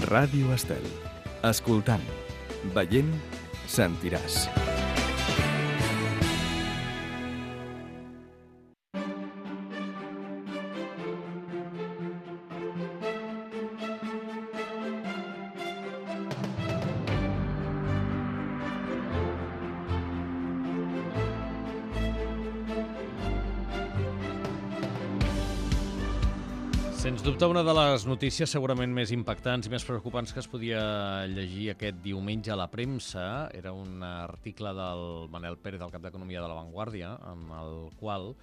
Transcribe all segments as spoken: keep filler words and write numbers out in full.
Ràdio Estel. Escoltant, veient, sentiràs. Sens dubte, una de les notícies segurament més impactants i més preocupants que es podia llegir aquest diumenge a la premsa era un article del Manel Pérez, del cap d'Economia de La Vanguardia, en el qual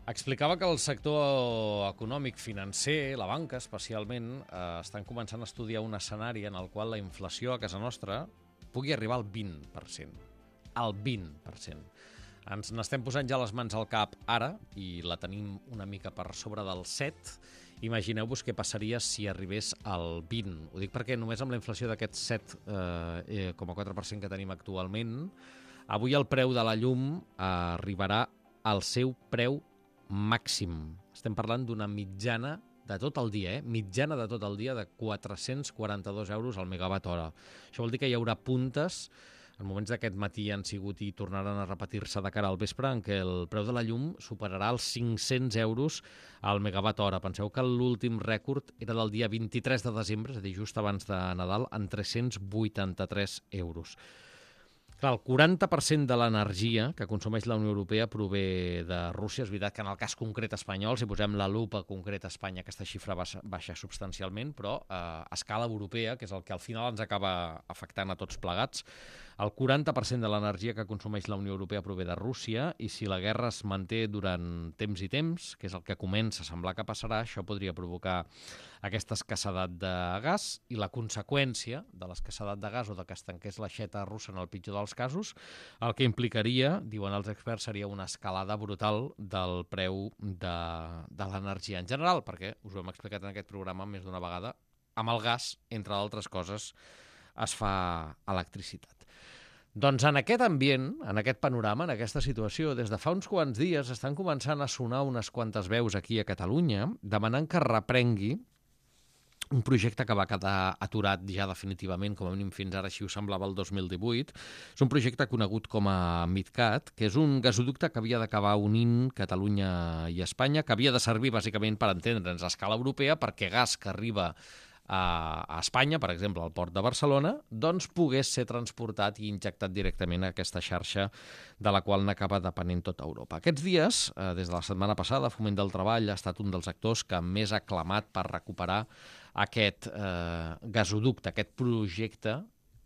explicava que el sector econòmic financer, la banca especialment, eh, estan començant a estudiar un escenari en el qual la inflació a casa nostra pugui arribar al vint per cent. Al vint per cent. Ens n'estem posant ja les mans al cap ara i la tenim una mica per sobre del set. Imagineu-vos què passaria si arribés al vint. Ho dic perquè només amb la inflació d'aquest set coma quatre per cent que tenim actualment, avui el preu de la llum arribarà al seu preu màxim. Estem parlant d'una mitjana de tot el dia, eh? mitjana de tot el dia de quatre-cents quaranta-dos euros al megawatt hora. Això vol dir que hi haurà puntes. En moments d'aquest matí han sigut i tornaran a repetir-se de cara al vespre en què el preu de la llum superarà els cinc-cents euros al megawatt hora. Penseu que l'últim rècord era del dia vint-i-tres de desembre, és a dir, just abans de Nadal, en tres-cents vuitanta-tres euros. Clar, el quaranta per cent de l'energia que consumeix la Unió Europea prové de Rússia. És veritat que en el cas concret espanyol, si posem la lupa concreta a Espanya, aquesta xifra baixa, baixa substancialment, però eh, a escala europea, que és el que al final ens acaba afectant a tots plegats, el quaranta per cent de l'energia que consumeix la Unió Europea prové de Rússia i si la guerra es manté durant temps i temps, que és el que comença a semblar que passarà, això podria provocar aquesta escassedat de gas i la conseqüència de l'escassedat de gas o de que es tanqués l'aixeta russa en el pitjor dels casos, el que implicaria, diuen els experts, seria una escalada brutal del preu de, de l'energia en general, perquè, us ho hem explicat en aquest programa més d'una vegada, amb el gas, entre altres coses, es fa electricitat. Doncs en aquest ambient, en aquest panorama, en aquesta situació, des de fa uns quants dies estan començant a sonar unes quantes veus aquí a Catalunya demanant que reprengui un projecte que va quedar aturat ja definitivament, com a mínim fins ara així ho semblava el dos mil divuit. És un projecte conegut com a MidCat, que és un gasoducte que havia d'acabar unint Catalunya i Espanya, que havia de servir bàsicament per entendre'ns a escala europea, perquè gas que arriba a Espanya, per exemple, al port de Barcelona, doncs pogués ser transportat i injectat directament a aquesta xarxa de la qual n'acaba depenent tota Europa. Aquests dies, des de la setmana passada, Foment del Treball ha estat un dels actors que més ha clamat per recuperar aquest eh, gasoducte, aquest projecte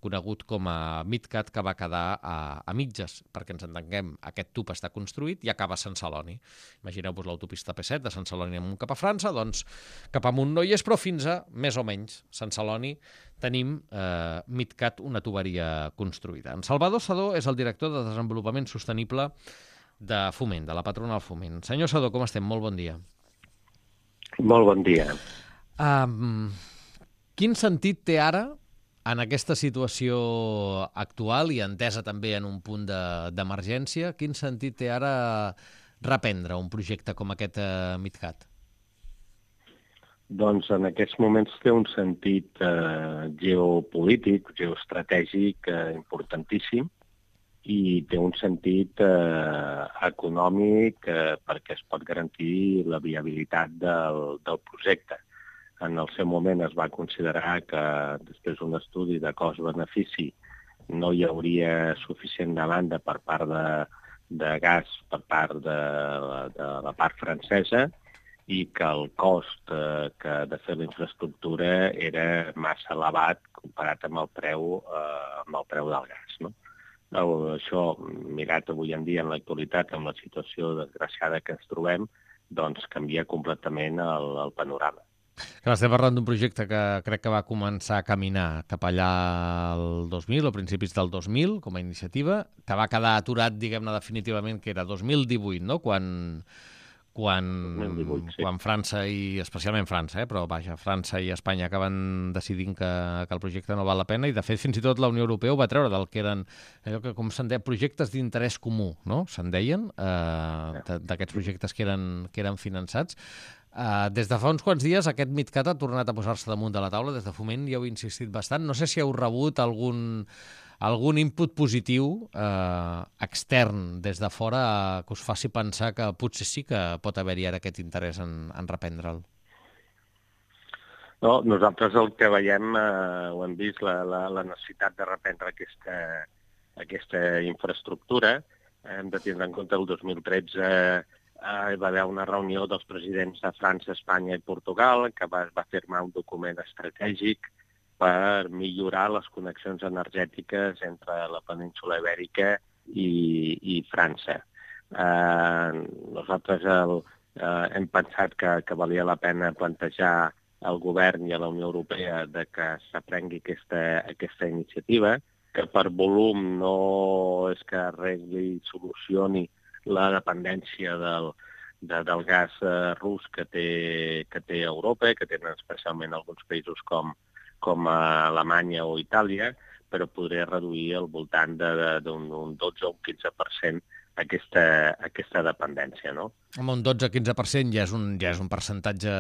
conegut com a MidCat, que va quedar a, a mitges, perquè ens entenguem, aquest tub està construït i acaba a Sant Celoni. Imagineu-vos l'autopista P set de Sant Celoni amunt cap a França, doncs cap amunt no hi és, però fins a, més o menys, Sant Celoni tenim eh, MidCat, una tuberia construïda. En Salvador Sadó és el director de Desenvolupament Sostenible de Foment, de la patronal Foment. Senyor Sadó, com estem? Molt bon dia. Molt bon dia. Um, quin sentit té ara, en aquesta situació actual i entesa també en un punt d'emergència, quin sentit té ara reprendre un projecte com aquest eh, MidCat? Doncs en aquests moments té un sentit eh, geopolític, geoestratègic eh, importantíssim i té un sentit eh, econòmic eh, perquè es pot garantir la viabilitat del, del projecte. En el seu moment es va considerar que després d'un estudi de cost-benefici no hi hauria suficient demanda per part de, de gas per part de, de la part francesa i que el cost eh, que de fer la infraestructura era massa elevat comparat amb el preu, eh, amb el preu del gas. No? Això, mirat avui en dia en l'actualitat, amb la situació desgraciada que ens trobem, doncs canvia completament el, el panorama. Clar, estem parlant d'un projecte que crec que va començar a caminar cap allà el dos mil, o principis del dos mil, com a iniciativa, que va quedar aturat, diguem-ne, definitivament, que era dos mil divuit, no?, quan, quan, dos mil divuit, sí. quan França, i especialment França, eh, però vaja, França i Espanya acaben decidint que, que el projecte no val la pena, i de fet fins i tot la Unió Europea ho va treure del que eren, allò que com se'n deia, projectes d'interès comú, no?, se'n deien, eh, d'aquests projectes que eren, que eren finançats. Uh, des de fa uns quants dies aquest MidCat ha tornat a posar-se damunt de la taula, des de Foment hi heu insistit bastant. No sé si heu rebut algun, algun input positiu eh, extern des de fora eh, que us faci pensar que potser sí que pot haver-hi ara aquest interès en, en reprendre'l. No, nosaltres el que veiem, eh, ho hem vist, la, la, la necessitat de reprendre aquesta, aquesta infraestructura. Hem de tindre en compte el dos mil tretze eh, hi va haver una reunió dels presidents de França, Espanya i Portugal que va, va firmar un document estratègic per millorar les connexions energètiques entre la península Ibèrica i, i França. Eh, nosaltres el, eh, hem pensat que, que valia la pena plantejar al govern i a la Unió Europea de que s'aprengui aquesta, aquesta iniciativa, que per volum no és que arregli i solucioni la dependència del, de, del gas eh, rus que té, que té Europa, que tenen especialment alguns països com, com Alemanya o Itàlia, però podria reduir al voltant d'un dotze o un quinze per cent aquesta, aquesta dependència, no? Home, un dotze o quinze per cent ja és un, ja és un percentatge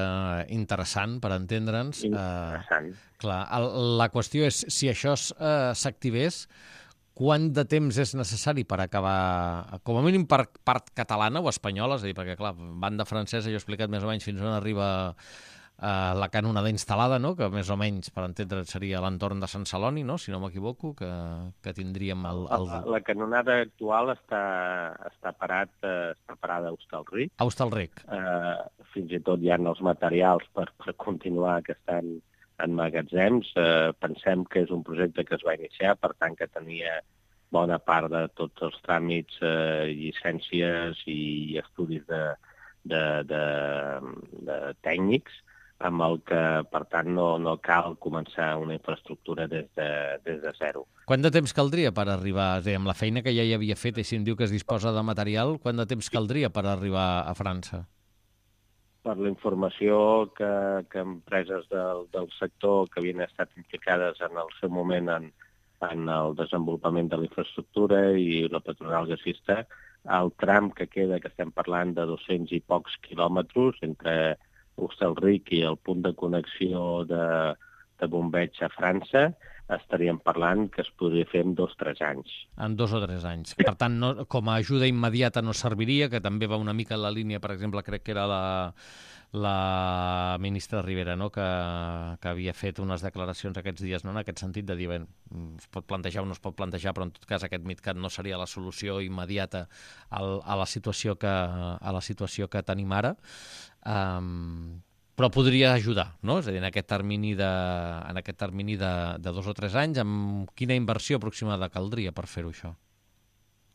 interessant, per entendre'ns. Interessant. Uh, clar, el, la qüestió és, si això s'activés, uh, quant de temps és necessari per acabar, com a mínim per part catalana o espanyola, és a dir, perquè, clar, banda francesa, jo he explicat més o menys fins on arriba eh, la canonada instal·lada, no?, que més o menys, per entendre, seria a l'entorn de Sant Celoni, no?, si no m'equivoco, que, que tindríem el... el... La, la canonada actual està, està, parat, eh, està parada a Hostalric. A Hostalric. Eh, fins i tot hi ha els materials per, per continuar que estan en magatzems. Eh, pensem que és un projecte que es va iniciar, per tant que tenia bona part de tots els tràmits, eh, llicències i estudis de, de, de, de tècnics, amb el que, per tant, no, no cal començar una infraestructura des de, des de zero. Quant de temps caldria per arribar, és a dir, amb la feina que ja hi havia fet, i si em diu que es disposa de material, quant de temps caldria per arribar a França? Per la informació que, que empreses del, del sector que havien estat implicades en el seu moment en, en el desenvolupament de la infraestructura i la patronal gasista, el tram que queda, que estem parlant de dos-cents i pocs quilòmetres entre Hostalric i el punt de connexió de, de bombeig a França, estaríem parlant que es podria fer en dos o tres anys. En dos o tres anys. Per tant, no, com a ajuda immediata no serviria, que també va una mica en la línia, per exemple, crec que era la, la ministra Rivera, no?, que, que havia fet unes declaracions aquests dies, no?, en aquest sentit de dir, bé, es pot plantejar o no es pot plantejar, però en tot cas aquest MidCat no seria la solució immediata al, a la situació que, a la situació que tenim ara. Um, però podria ajudar, no? És a dir, en aquest termini de, en aquest termini de, de dos o tres anys, amb quina inversió aproximada caldria per fer-ho, això?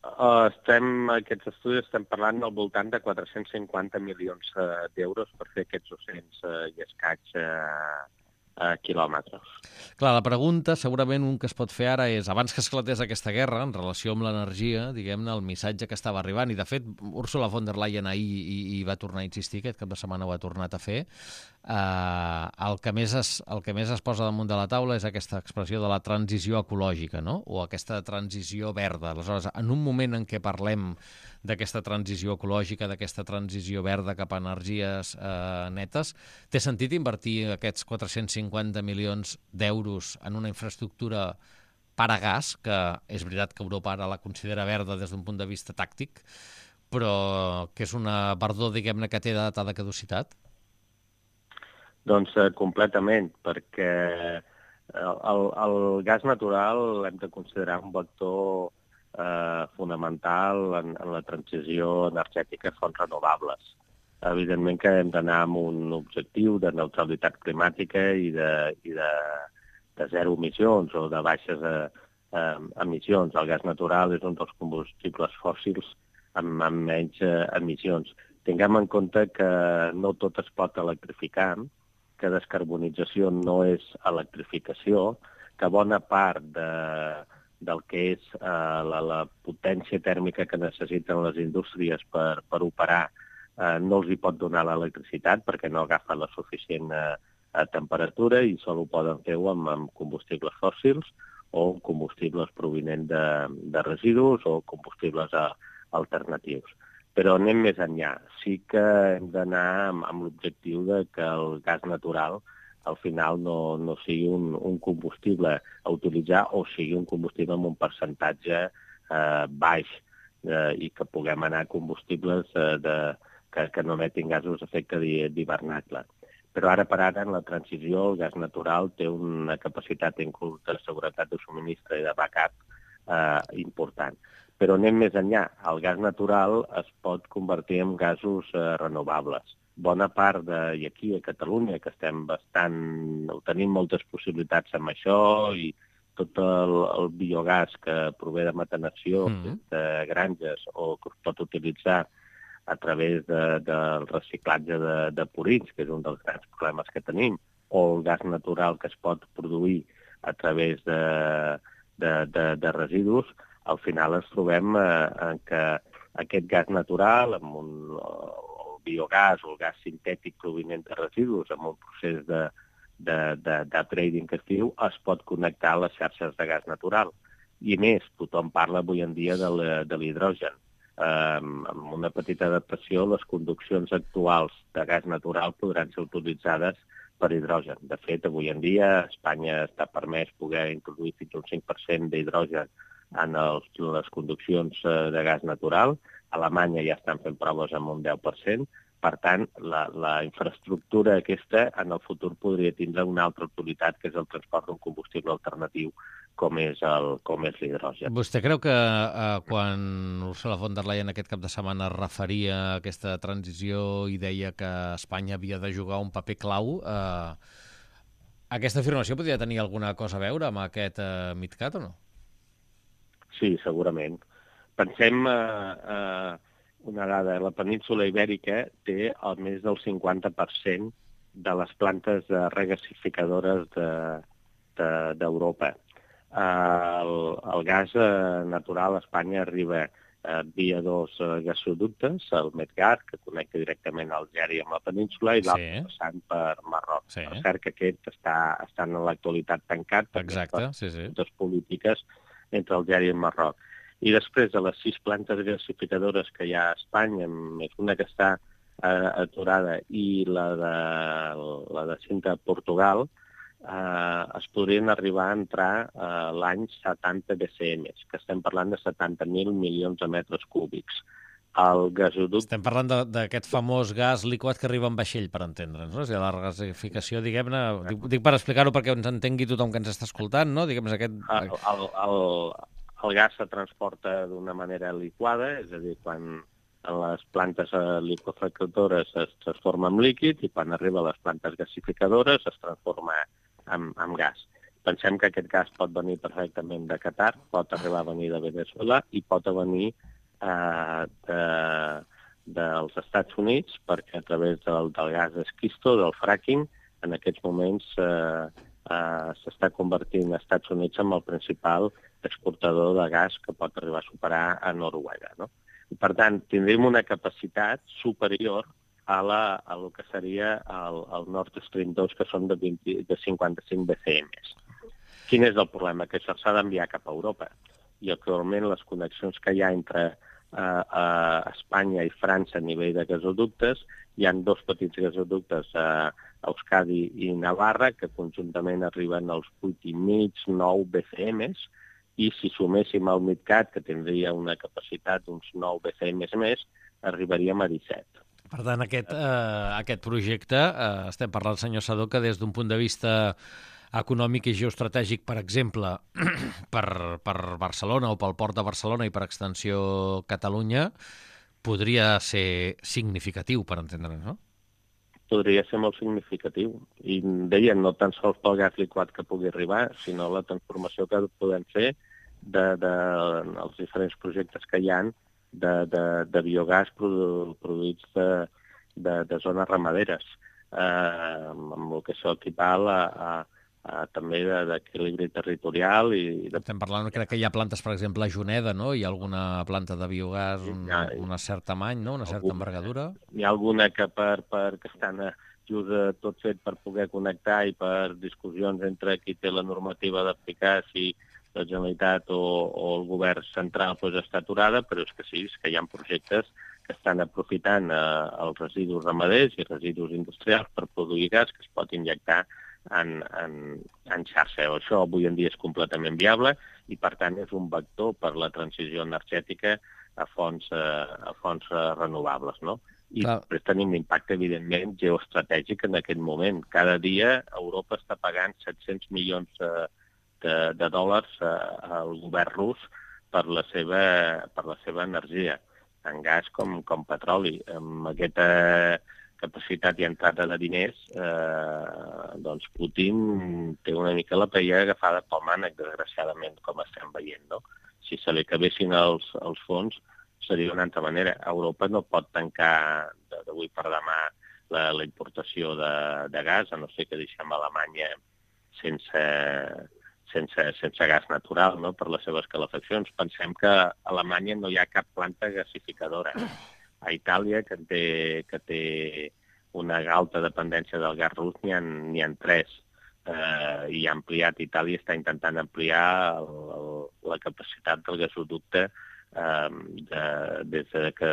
Uh, estem, aquests estudis estem parlant al voltant de quatre-cents cinquanta milions uh, d'euros per fer aquests dos-cents uh, i escaig uh, uh, quilòmetres. Clar, la pregunta, segurament un que es pot fer ara és, abans que esclatés aquesta guerra, en relació amb l'energia, diguem-ne, el missatge que estava arribant, i de fet, Ursula von der Leyen ahir i, i va tornar a insistir, aquest cap de setmana ho ha tornat a fer, eh, el, que més es, el que més es posa damunt de la taula és aquesta expressió de la transició ecològica, no?, o aquesta transició verda. Aleshores, en un moment en què parlem d'aquesta transició ecològica, d'aquesta transició verda cap a energies eh, netes, té sentit invertir aquests quatre-cents cinquanta milions d'euros en una infraestructura per a gas, que és veritat que Europa ara la considera verda des d'un punt de vista tàctic, però que és una verdor, diguem-ne, que té data de caducitat? Doncs eh, completament, perquè el, el, el gas natural hem de considerar un vector eh, fonamental en, en la transició energètica a fonts renovables. Evidentment que hem d'anar amb un objectiu de neutralitat climàtica i de, i de, de zero emissions o de baixes eh, eh, emissions. El gas natural és un dels combustibles fòssils amb, amb menys eh, emissions. Tinguem en compte que no tot es pot electrificar, que descarbonització no és electrificació, que bona part de, del que és eh, la, la potència tèrmica que necessiten les indústries per, per operar eh, no els hi pot donar l'electricitat perquè no agafa la suficient eh, temperatura i sol ho poden fer amb, amb combustibles fòssils o combustibles provinents de, de residus o combustibles a, alternatius. però anem més enllà. Sí que hem d'anar amb, amb l'objectiu de que el gas natural al final no, no sigui un, un combustible a utilitzar o sigui un combustible amb un percentatge eh, baix eh, i que puguem anar a combustibles eh, de, que, que no emetin gasos d'efecte d'hivernacle. Però ara per ara, en la transició, el gas natural té una capacitat inclús de seguretat de subministre i de backup eh, important. Però anem més enllà. El gas natural es pot convertir en gasos eh, renovables. Bona part de, i aquí a Catalunya, que estem bastant, tenim moltes possibilitats amb això, i tot el, el biogàs que prové de metanació mm. de granges o que es pot utilitzar a través de, del reciclatge de, de purins, que és un dels grans problemes que tenim, o el gas natural que es pot produir a través de, de, de, de residus, al final ens trobem eh, que aquest gas natural, amb un, el biogàs o el gas sintètic provinent de residus, amb un procés de, de, de, de trading que es diu, es pot connectar a les xarxes de gas natural. I més, tothom parla avui en dia de l'hidrogen. Um, amb una petita adaptació, les conduccions actuals de gas natural podran ser utilitzades per hidrogen. De fet, avui en dia a Espanya està permès poder introduir fins un cinc per cent d'hidrogen en els, les conduccions de gas natural. A Alemanya ja estan fent proves amb un deu per cent. Per tant, la, la infraestructura aquesta en el futur podria tindre una altra utilitat, que és el transport d'un combustible alternatiu, com és el, com és l'hidrogen. Vostè creu que eh, quan Ursula von der Leyen aquest cap de setmana es referia a aquesta transició i deia que Espanya havia de jugar un paper clau, eh, aquesta afirmació podria tenir alguna cosa a veure amb aquest eh, MidCat o no? Sí, segurament. Pensem eh, eh, una dada, la península Ibèrica té el més del cinquanta per cent de les plantes de regasificadores d'Europa. De, de, eh, el, el gas eh, natural a Espanya arriba eh, via dos eh, gasoductes, el Medgaz, que connecta directament Algèria amb la península, i l'altre sí. passant per Marroc. Sí. Per cert que aquest està, està en l'actualitat tancat. Exacte, sí, sí. Les polítiques entre Algèria i Marroc. I després de les sis plantes gasificadores que hi ha a Espanya, més una que està eh, aturada i la de, la de Cinta a Portugal, eh, es podrien arribar a entrar eh, l'any setanta B C M, que estem parlant de setanta mil milions de metres cúbics. El gasoducte... Estem parlant d'aquest famós gas liquat que arriba en vaixell, per entendre'ns, no? O sigui, la regasificació, diguem-ne... Dic, dic per explicar-ho perquè ens entengui tothom que ens està escoltant, no? Diguem-ne aquest... El, el, el, el gas se transporta d'una manera liquada, és a dir, quan en les plantes liquefactores es transforma en líquid i quan arriba a les plantes gasificadores es transforma en, en gas. Pensem que aquest gas pot venir perfectament de Qatar, pot arribar a venir de Venezuela i pot venir eh, de, dels Estats Units, perquè a través del, del gas esquisto, del fracking, en aquests moments eh, eh, s'està convertint als Estats Units en el principal exportador de gas que pot arribar a superar a Noruega, no? I, per tant, tindrem una capacitat superior a, la, a lo que seria el, el Nord Stream dos, que són de, vint, de cinquanta-cinc B C M. Quin és el problema? Que això s'ha d'enviar cap a Europa. I actualment les connexions que hi ha entre eh, eh, Espanya i França a nivell de gasoductes, hi ha dos petits gasoductes a Euskadi i Navarra, que conjuntament arriben als vuit i mig, nou B C M, i si suméssim el MidCat, que tindria una capacitat d'uns nou B C M més, arribaríem a disset. Per tant, aquest, eh, aquest projecte, eh, estem parlant, senyor Sadó, que des d'un punt de vista econòmic i geoestratègic, per exemple, per, per Barcelona o pel port de Barcelona i per extensió Catalunya, podria ser significatiu, per entendre'ns, no? Podria ser molt significatiu. I deien, no tan sols pel gas liquat que pugui arribar, sinó la transformació que podem fer de, de, els diferents projectes que hi ha de, de, de biogàs produ, produïts de, de, de zones ramaderes, eh, amb el que això equival a, a, a també d'equilibri territorial. I de... Estem parlant, crec que hi ha plantes, per exemple, a Juneda, no? Hi ha alguna planta de biogàs, un, ja, una certa tamany, no? Una certa alguna, envergadura? Hi ha alguna que, per, per, que estan just tot fet per poder connectar i per discussions entre qui té la normativa d'aplicar, si la Generalitat o, o el govern central pues, està aturada, però és que sí, és que hi ha projectes que que estan aprofitant eh, els residus ramaders i residus industrials per produir gas que es pot injectar en, en, en xarxa. Això avui en dia és completament viable i, per tant, és un vector per la transició energètica a fonts, eh, a fonts eh, renovables, no? I Clar. després tenim l'impacte, evidentment, geoestratègic en aquest moment. Cada dia Europa està pagant set-cents milions eh, de, de dòlars eh, al govern rus per la seva, per la seva energia, tant gas com, com petroli. Amb aquesta capacitat i entrada de diners, eh, doncs Putin té una mica la paella agafada pel mànec, desgraciadament, com estem veient, no? Si se li acabessin els, els fons, seria d'una altra manera. Europa no pot tancar d'avui per demà la, la importació de, de gas, a no ser que deixem Alemanya sense, sense, sense gas natural, no?, per les seves calefaccions. Pensem que a Alemanya no hi ha cap planta gasificadora. A Itàlia, que té, que té una alta dependència del gas rus, n'hi ha, n'hi ha tres. Eh, I ha ampliat, Itàlia està intentant ampliar el, el, la capacitat del gasoducte eh, de, des, de que,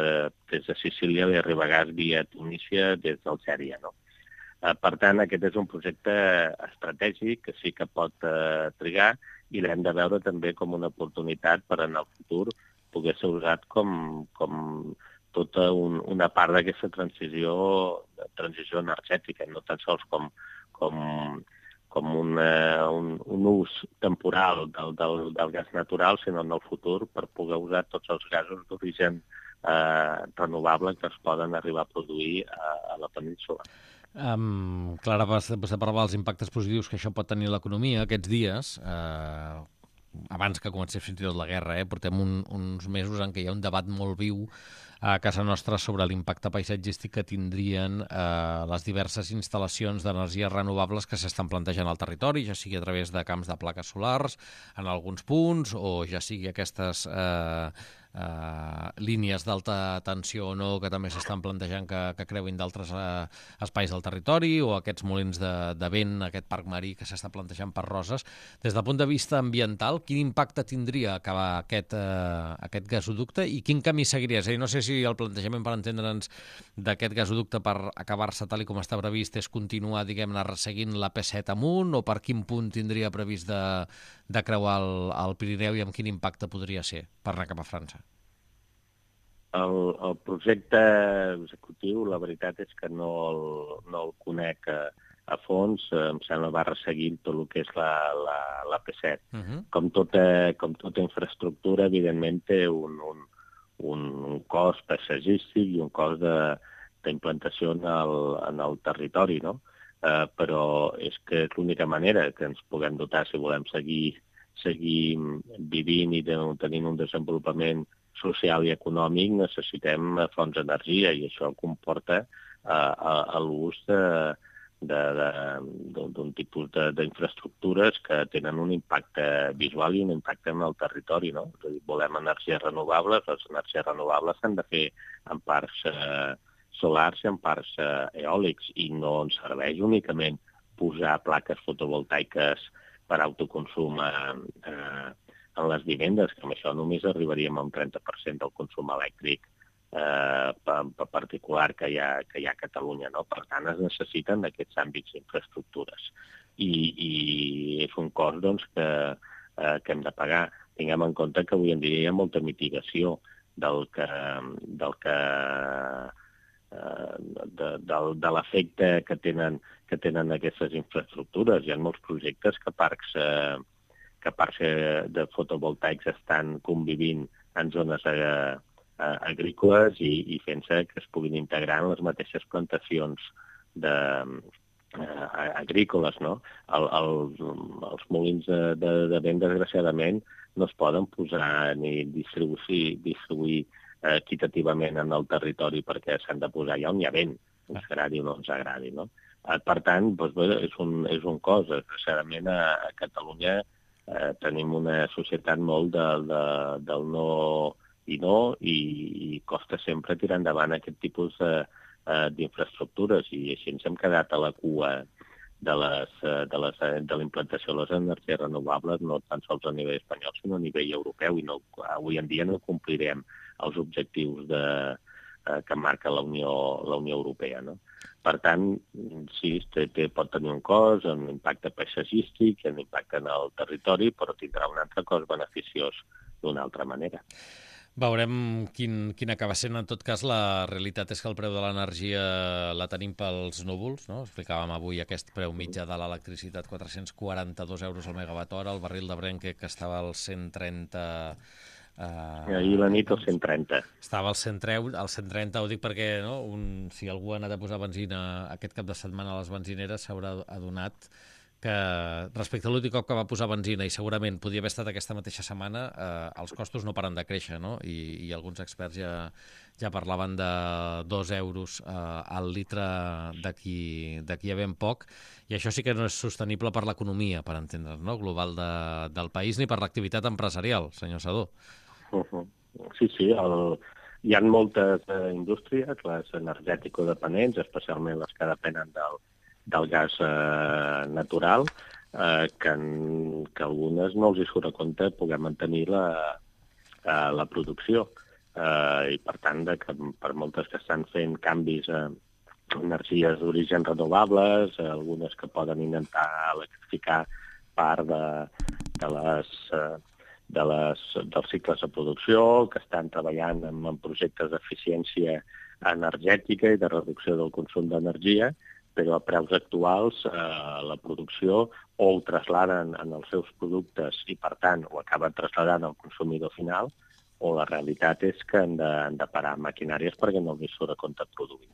des de Sicília li arriba gas via Tunísia des d'Algèria, no? Eh, per tant, aquest és un projecte estratègic que sí que pot eh, trigar i l'hem de veure també com una oportunitat per en el futur poder ser usat com, com tota un, una part d'aquesta transició, transició energètica, no tan sols com, com, com una, un, un ús temporal del, del, del gas natural, sinó en el futur per poder usar tots els gasos d'origen eh, renovable que es poden arribar a produir a, a la península. Um, Clara, vostè parlava dels impactes positius que això pot tenir a l'economia aquests dies, eh, abans que comencés fins i tot la guerra, eh? Portem un, uns mesos en què hi ha un debat molt viu a casa nostra sobre l'impacte paisatgístic que tindrien eh, les diverses instal·lacions d'energies renovables que s'estan plantejant al territori, ja sigui a través de camps de plaques solars en alguns punts, o ja sigui aquestes eh, eh, línies d'alta tensió o no que també s'estan plantejant que, que creuin d'altres eh, espais del territori, o aquests molins de, de vent, aquest parc marí que s'està plantejant per Roses. Des del punt de vista ambiental, quin impacte tindria acabar aquest, eh, aquest gasoducte i quin camí seguiria? És a dir, no sé si el plantejament, per entendre'ns, d'aquest gasoducte per acabar-se tal i com està previst és continuar, diguem-ne, resseguint la P set amunt, o per quin punt tindria previst de, de creuar el, el Pirineu i amb quin impacte podria ser per anar cap a França? El, el projecte executiu, la veritat és que no el, no el conec a, a fons, em sembla va resseguint tot el que és la, la, la P set. Uh-huh. Com, tota, com tota infraestructura, evidentment té un, un, un, un cost paisatgístic i un cost d'implantació en, el, en el territori, no? Uh, però és que és l'única manera que ens puguem dotar si volem seguir, seguir vivint i tenint un desenvolupament social i econòmic, necessitem fonts d'energia i això comporta uh, l'ús d'un tipus d'infraestructures que tenen un impacte visual i un impacte en el territori, no? És a dir, volem energies renovables, les energies renovables s'han de fer en parcs uh, solars i en parcs uh, eòlics i no ens serveix únicament posar plaques fotovoltaiques per autoconsum uh, uh, en les vivendes, que amb això només arribaríem a un trenta per cent del consum elèctric eh, particular que hi, ha, que hi ha a Catalunya, no? Per tant, es necessiten aquests àmbits d'infraestructures. I, I és un cost doncs, que, eh, que hem de pagar. Tinguem en compte que avui en dia hi ha molta mitigació del que, del que de, de, de l'efecte que tenen, que tenen aquestes infraestructures. Hi ha molts projectes que parcs eh, que parcs de fotovoltaics estan convivint en zones eh, agrícoles i, i fent-se que es puguin integrar en les mateixes plantacions de, eh, agrícoles, no? El, el, els molins de, de, de vent, desgraciadament, no es poden posar ni distribuir, distribuir eh, equitativament en el territori perquè s'han de posar allà on hi ha vent, ens agradi o no ens agradi, no? Eh, per tant, doncs, bé, és, un, és un cost. Desgraciadament, a, a Catalunya Eh, tenim una societat molt de, de, del no i no i, i costa sempre tirar endavant aquest tipus d'infraestructures i així ens hem quedat a la cua de, les, de, les, de la implantació de les energies renovables, no tan sols a nivell espanyol sinó a nivell europeu, i no, avui en dia no complirem els objectius de, eh, que marca la Unió, la Unió Europea, no? Per tant, sí, té, té, pot tenir un cost, un impacte paisatgístic, un impacte en el territori, però tindrà un altre cost beneficiós d'una altra manera. Veurem quin, quin acaba sent. En tot cas, la realitat és que el preu de l'energia la tenim pels núvols, no? Explicàvem avui aquest preu mitjà de l'electricitat, quatre-cents quaranta-dos euros al megawatt hora, el barril de Brent que estava al cent trenta... Uh, Ahir la nit al cent trenta. Estava al cent trenta, al cent trenta, ho dic perquè no, un, si algú ha anat a posar benzina aquest cap de setmana a les benzineres s'haurà adonat que respecte a l'últim cop que va posar benzina, i segurament podia haver estat aquesta mateixa setmana, eh, els costos no paren de créixer, no? I, i alguns experts ja, ja parlaven de dos euros eh, al litre d'aquí d'aquí a ben poc, i això sí que no és sostenible per l'economia, per entendre's, no? Global de, del país, ni per l'activitat empresarial, senyor Sadó. Uh -huh. Sí, sí, el... hi ha moltes eh, indústries, les energètico-dependents, especialment les que depenen del del gas eh, natural, eh, que, en, que algunes no els hi surt a compte poder mantenir la, eh, la producció. Eh, I, per tant, de que per moltes que estan fent canvis a energies d'origen renovables, eh, algunes que poden intentar electrificar part de, de les... Eh, de les, dels cicles de producció, que estan treballant en, en projectes d'eficiència energètica i de reducció del consum d'energia, però a preus actuals eh, la producció o ho trasladen en els seus productes i, per tant, ho acaben trasladant al consumidor final, o la realitat és que han de, han de parar maquinàries perquè no els surt a compte produir.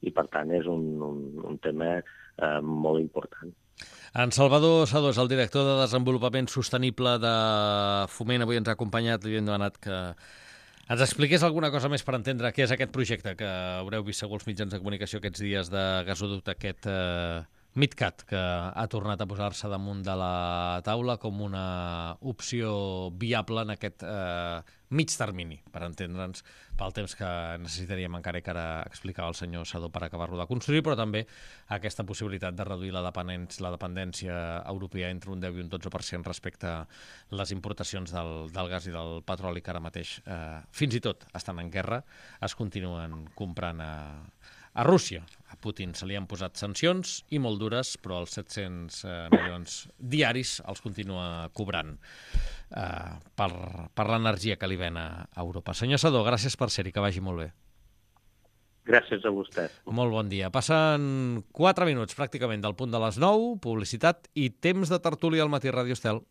I, per tant, és un, un, un tema eh, molt important. En Salvador Sadó és el director de Desenvolupament Sostenible de Foment. Avui ens ha acompanyat, li hem demanat que ens expliqués alguna cosa més per entendre què és aquest projecte que haureu vist segur els mitjans de comunicació aquests dies de gasoducte, aquest eh, MidCat, que ha tornat a posar-se damunt de la taula com una opció viable en aquest eh, mig termini, per entendre'ns, pel temps que necessitaríem encara, que ara explicava el senyor Sadó, per acabar-lo de construir, però també aquesta possibilitat de reduir la dependència, la dependència europea entre un deu i un dotze per cent respecte a les importacions del, del gas i del petroli, que ara mateix, eh, fins i tot estan en guerra, es continuen comprant a, a Rússia. A Putin se li han posat sancions i molt dures, però els set-cents eh, milions diaris els continua cobrant eh, per, per l'energia que li ven a Europa. Senyor Sadó, gràcies per ser-hi, que vagi molt bé. Gràcies a vostè. Molt bon dia. Passen quatre minuts pràcticament del punt de les nou, publicitat i temps de tertúlia al Matí Ràdio Estel.